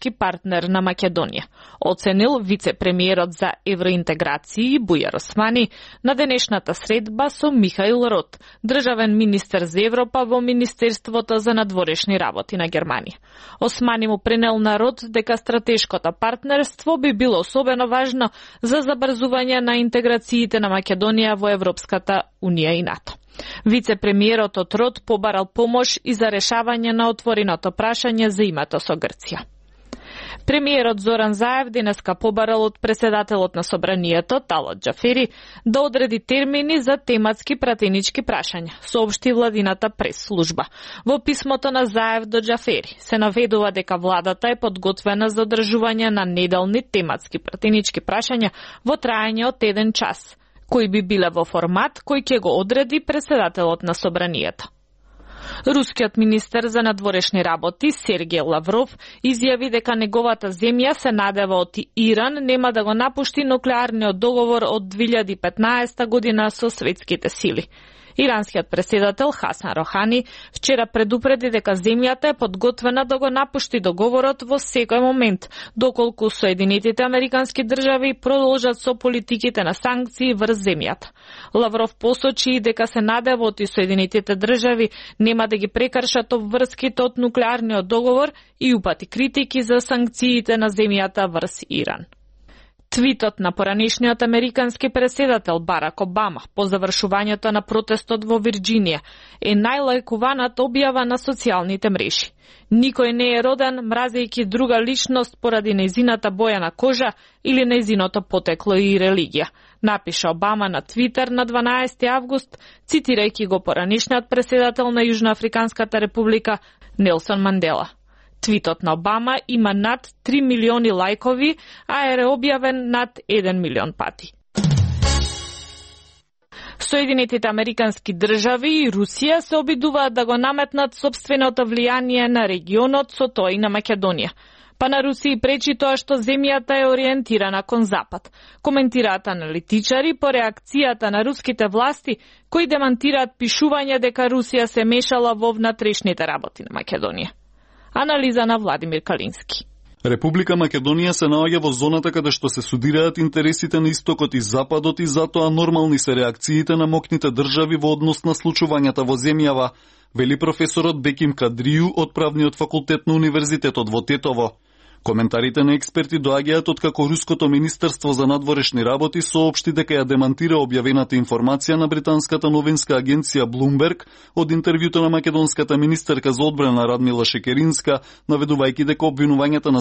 партнер на Македонија, оценил вице-премиерот за евроинтеграција Бујар Османи на денешната средба со Михаил Рот, државен министер за Европа во Министерството за надворешни работи на Германија. Османи му пренел на Рот дека стратешкото партнерство би било особено важно за забрзување на интеграциите на Македонија во Европската Унија и НАТО. Вице-премиерот од Рот побарал помош и за решавање на отвореното прашање за името со Грција. Премиерот Зоран Заев денеска побарал од председателот на Собранието Талат Џафери да одреди термини за тематски пратенички прашања, соопшти владината прес-служба. Во писмото на Заев до Џафери се наведува дека владата е подготвена за одржување на неделни тематски пратенички прашања во траење од 1 час, кои би биле во формат кој ќе го одреди председателот на Собранието. Рускиот министер за надворешни работи Сергеј Лавров изјави дека неговата земја се надева од Иран нема да го напушти нуклеарниот договор од 2015 година со светските сили. Иранскиот председател Хасан Рохани вчера предупреди дека земјата е подготвена да го напушти договорот во секој момент, доколку Соединетите Американски држави продолжат со политиките на санкции врз земјата. Лавров посочи дека се надева од Соединетите држави нема да ги прекршат обврските од нуклеарниот договор и упати критики за санкциите на земјата врз Иран. Твитот на поранешниот американски председател Барак Обама по завршувањето на протестот во Вирџинија е најлајкуваната објава на социјалните мрежи. Никој не е роден мразејќи друга личност поради нејзината боја на кожа или нејзиното потекло и религија, напиша Обама на Твитер на 12 август, цитирајќи го поранешниот председател на Јужноафриканската република Нелсон Мандела. Твитот на Обама има над 3 милиони лајкови, а е објавен над 1 милион пати. Соединетите Американски држави и Русија се обидуваат да го наметнат собственото влијание на регионот со тоа и на Македонија. Па на Русија пречи тоа што земјата е ориентирана кон запад, коментираат аналитичари по реакцијата на руските власти кои демантираат пишување дека Русија се мешала во внатрешните работи на Македонија. Анализа на Владимир Калински. Република Македонија се наоѓа во зоната каде што се судираат интересите на истокот и западот и затоа нормални се реакциите на моќните држави во однос на случувањата во земјава, вели професорот Беким Кадрију од Правниот факултет на Универзитетот во Тетово. Коментарите на експерти доаѓаат од како Руското министерство за надворешни работи соопшти дека ја демантира објавената информација на британската новинска агенција Bloomberg од интервјуто на македонската министерка за одбрана Радмила Шекеринска, наведувајќи дека обвинувањата на